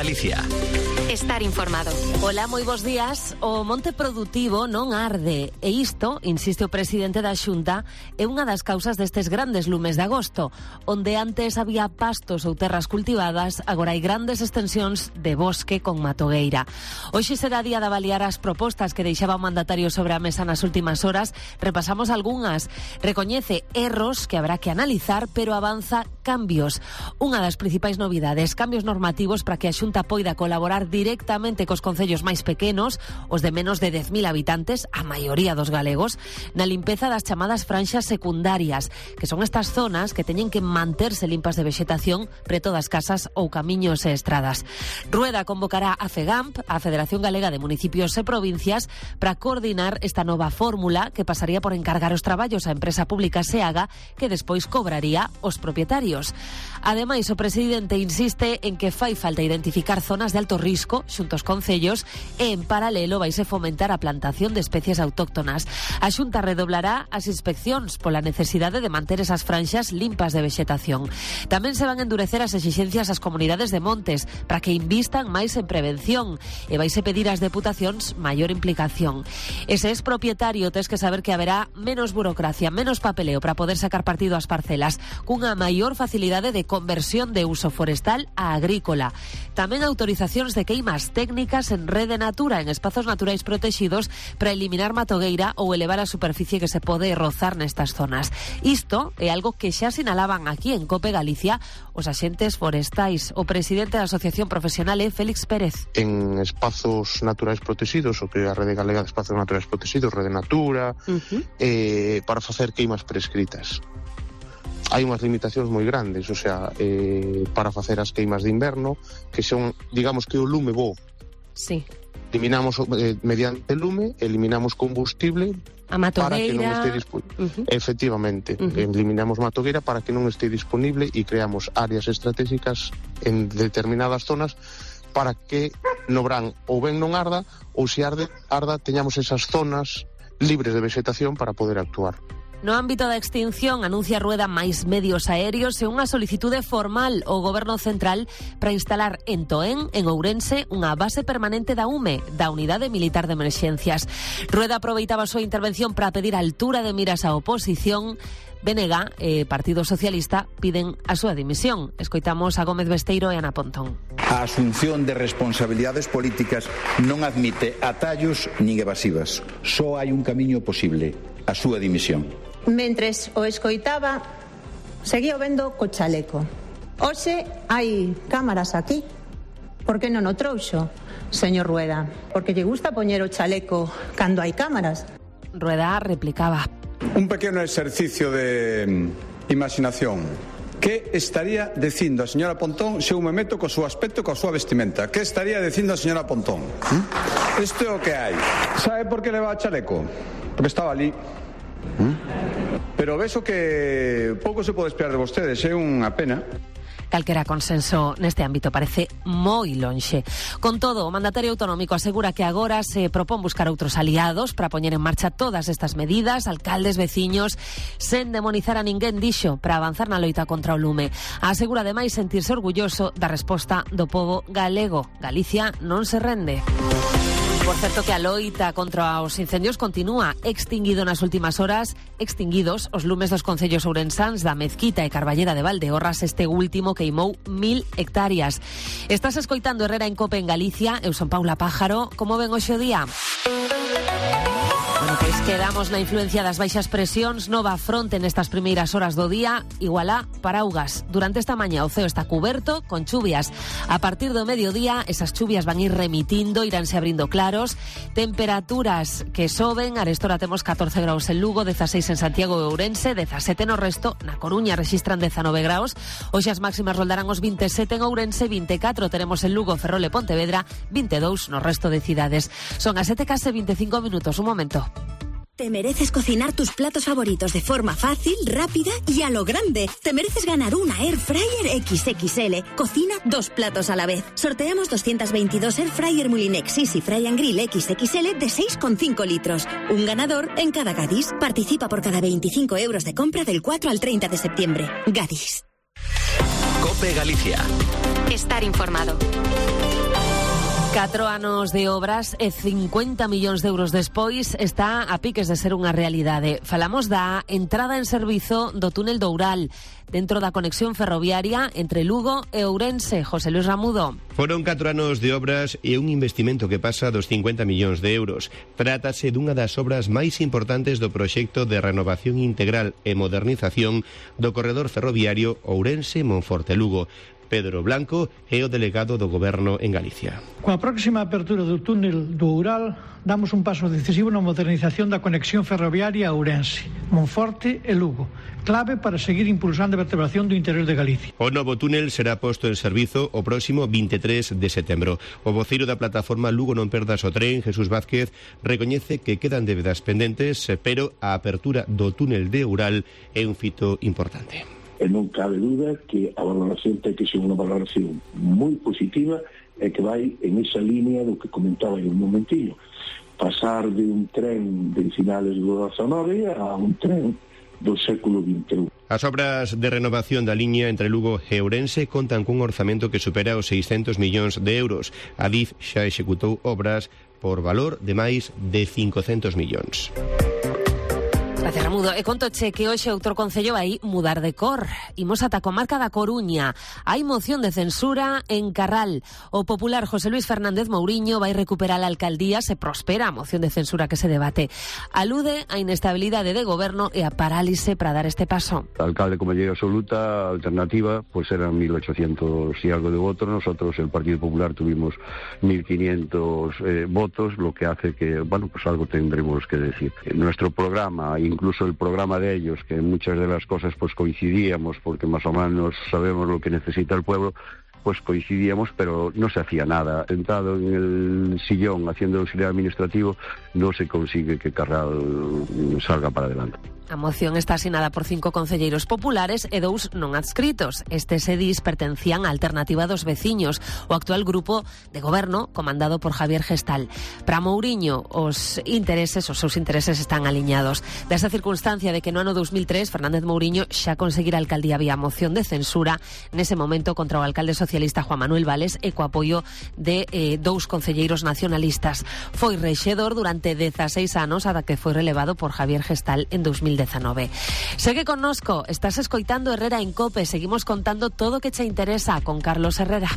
Galicia. Estar informado. Hola, moi bons días. O monte produtivo non arde e isto, insiste o presidente da Xunta, é unha das causas destes grandes lumes de agosto, onde antes había pastos ou terras cultivadas, agora hai grandes extensións de bosque con matogueira. Hoxe será día de avaliar as propostas que deixaba o mandatario sobre a mesa nas últimas horas. Repasamos algunhas. Recoñece erros que habrá que analizar, pero avanza cambios. Unha das principais novidades, cambios normativos para que a Xunta poida colaborar directamente cos concellos máis pequenos, os de menos de 10.000 habitantes, a maioría dos galegos, na limpeza das chamadas franxas secundarias, que son estas zonas que teñen que manterse limpas de vexetación preto das casas ou camiños e estradas. Rueda convocará a FEGAMP, a Federación Galega de Municipios e Provincias, para coordinar esta nova fórmula que pasaría por encargar os traballos á empresa pública SEAGA, que despois cobraría os propietarios. Ademais, o presidente insiste en que fai falta identificar zonas de alto risco xunto aos concellos e, en paralelo, vaise fomentar a plantación de especies autóctonas. A Xunta redoblará as inspeccións pola necesidade de manter esas franxas limpas de vexetación. Tamén se van a endurecer as exixencias ás comunidades de montes para que invistan máis en prevención e vaise pedir ás deputacións maior implicación. E se es propietario, tes que saber que haberá menos burocracia, menos papeleo para poder sacar partido ás parcelas, cunha maior facilidade de conversión de uso forestal a agrícola. Tamén autorizacións de queimas técnicas en rede natura en espazos naturais protegidos para eliminar matogueira ou elevar a superficie que se pode rozar nestas zonas. Isto é algo que xa sinalaban aquí en COPE Galicia os axentes forestais. O presidente da Asociación Profesional é Félix Pérez. En espazos naturais protegidos, o que é a Rede Galega de Espazos Naturais Protegidos, Rede Natura, para facer queimas prescritas. Hai unhas limitacións moi grandes, o sea, para facer as queimas de inverno, que son, digamos que o lume bo. Sí. Eliminamos mediante lume, eliminamos combustible a matogueira para que non este disponible. Efectivamente, eliminamos matogueira para que non este disponible e creamos áreas estratégicas en determinadas zonas para que no verán ou ben non arda, ou se arda, teñamos esas zonas libres de vegetación para poder actuar. No ámbito da extinción, anuncia Rueda máis medios aéreos e unha solicitude formal ao Goberno Central para instalar en Toén, en Ourense, unha base permanente da UME, da Unidade Militar de Emerxencias. Rueda aproveitaba a súa intervención para pedir a altura de miras á oposición. BNG e Partido Socialista piden a súa dimisión. Escoitamos a Gómez Besteiro e Ana Pontón. A asunción de responsabilidades políticas non admite atallos nin evasivas. Só hai un camiño posible, a súa dimisión. Mentres o escoitaba, seguía vendo co chaleco. Hoxe hai cámaras aquí. Por que non o trouxo, señor Rueda? Porque lle gusta poñer o chaleco cando hai cámaras. Rueda replicaba. Un pequeno exercicio de imaginación. Que estaría dicindo a señora Pontón se eu me meto co seu aspecto, coa súa vestimenta? Que estaría dicindo a señora Pontón? Isto é o que hai. Sabe por que leva o chaleco? Porque estaba ali. Pero vexo que pouco se pode esperar de vostedes, é unha pena. Calquera consenso neste ámbito parece moi lonxe. Con todo, o mandatario autonómico asegura que agora se propón buscar outros aliados para poñer en marcha todas estas medidas, alcaldes, veciños, sen demonizar a ninguén, dixo, para avanzar na loita contra o lume. Asegura ademais sentirse orgulloso da resposta do pobo galego. Galicia non se rende. Por certo que a loita contra os incendios continúa. Extinguidos os lumes dos concellos ourensáns da Mezquita e Carballeda de Valdeorras, este último queimou 1000 hectáreas. Estás escoitando Herrera en COPE en Galicia. Eu son Paula Pájaro. Como ven hoxe o día? Bueno, pois quedamos na influencia das baixas presións, nova fronte nestas primeiras horas do día, igual a Paraugas. Durante esta mañá o ceo está cuberto con chuvias. A partir do mediodía, esas chuvias van ir remitindo, iránse abrindo claros, temperaturas que soben. Arestora temos 14 graus en Lugo, 16 en Santiago e Ourense, 17 no resto. Na Coruña registran 19 graus. Hoxe as máximas roldarán os 27 en Ourense, 24 teremos en Lugo, Ferrol e Pontevedra, 22 no resto de cidades. Son as 7:25 minutos. Un momento. Te mereces cocinar tus platos favoritos de forma fácil, rápida y a lo grande. Te mereces ganar una Air Fryer XXL. Cocina 2 platos a la vez. Sorteamos 222 Air Fryer Mulinex Easy Fry and Grill XXL de 6,5 litros. Un ganador en cada Gadis. Participa por cada 25 euros de compra del 4 al 30 de septiembre. Gadis. COPE Galicia. Estar informado. 4 anos de obras e 50 millóns de euros despois está a piques de ser unha realidade. Falamos da entrada en servizo do túnel do Oural, dentro da conexión ferroviaria entre Lugo e Ourense. José Luis Ramudo. Foron 4 anos de obras e un investimento que pasa dos 50 millóns de euros. Trátase dunha das obras máis importantes do proxecto de renovación integral e modernización do corredor ferroviario Ourense-Monforte-Lugo. Pedro Blanco é o delegado do Goberno en Galicia. Coa próxima apertura do túnel do Oural, damos un paso decisivo na modernización da conexión ferroviaria a Ourense, Monforte e Lugo, clave para seguir impulsando a vertebración do interior de Galicia. O novo túnel será posto en servizo o próximo 23 de setembro. O voceiro da plataforma Lugo Non Perdas o Tren, Jesús Vázquez, recoñece que quedan débedas pendentes, pero a apertura do túnel de Oural é un fito importante. E non cabe duda que a valoración ten que ser unha valoración moi positiva e que vai en esa línea do que comentaba en un momentillo. Pasar de un tren de finales do XIX a un tren do século XXI. As obras de renovación da liña entre Lugo e Ourense contan cun orzamento que supera os 600 millóns de euros. A DIF xa executou obras por valor de máis de 500 millóns. Gracias, Ramudo. E contoche que hoxe outro concello vai mudar de cor. Imos ata a comarca da Coruña. Hai moción de censura en Carral. O popular José Luis Fernández Mouriño vai recuperar a alcaldía se prospera a moción de censura que se debate. Alude a inestabilidade de goberno e a parálise para dar este paso. Alcalde con mayoría absoluta, alternativa, pues eran 1.800 y algo de votos. Nosotros, el Partido Popular, tuvimos 1.500 votos, lo que hace que, bueno, pues algo tendremos que decir. Nuestro programa, incluso el programa de ellos, que en muchas de las cosas pues coincidíamos, porque más o menos sabemos lo que necesita el pueblo, pues coincidíamos, pero no se hacía nada. Sentado en el sillón haciendo auxiliar administrativo, no se consigue que Carral salga para adelante. A moción está asinada por 5 concelleiros populares e 2 non adscritos. Estes edís pertencían á Alternativa dos Veciños, o actual grupo de goberno comandado por Javier Gestal. Para Mouriño, os seus intereses están aliñados. Desa circunstancia de que no ano 2003 Fernández Mouriño xa conseguira a alcaldía vía moción de censura, nese momento contra o alcalde socialista Juan Manuel Vales e co apoio de 2 concelleiros nacionalistas. Foi rexedor durante 16 anos ata que foi relevado por Javier Gestal en 2019. Segue connosco, estás escoitando Herrera en COPE, seguimos contando todo o que che interesa con Carlos Herrera.